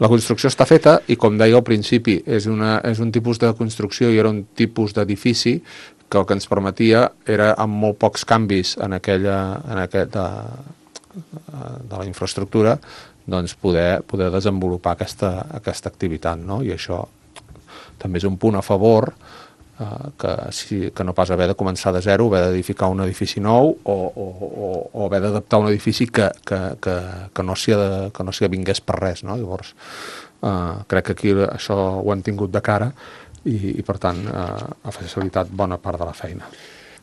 La construcció està feta i, com deia al principi, és un tipus de construcció i era un tipus d'edifici que el que ens permetia era, amb molt pocs canvis de la infraestructura, doncs poder desenvolupar aquesta activitat, no? I això també és un punt a favor, que no pas haver de començar de zero, haver d'edificar un edifici nou o haver d'adaptar un edifici que no s'hi vingués per res, no? Llavors, crec que aquí això ho hem tingut de cara i per tant, ha facilitat bona part de la feina.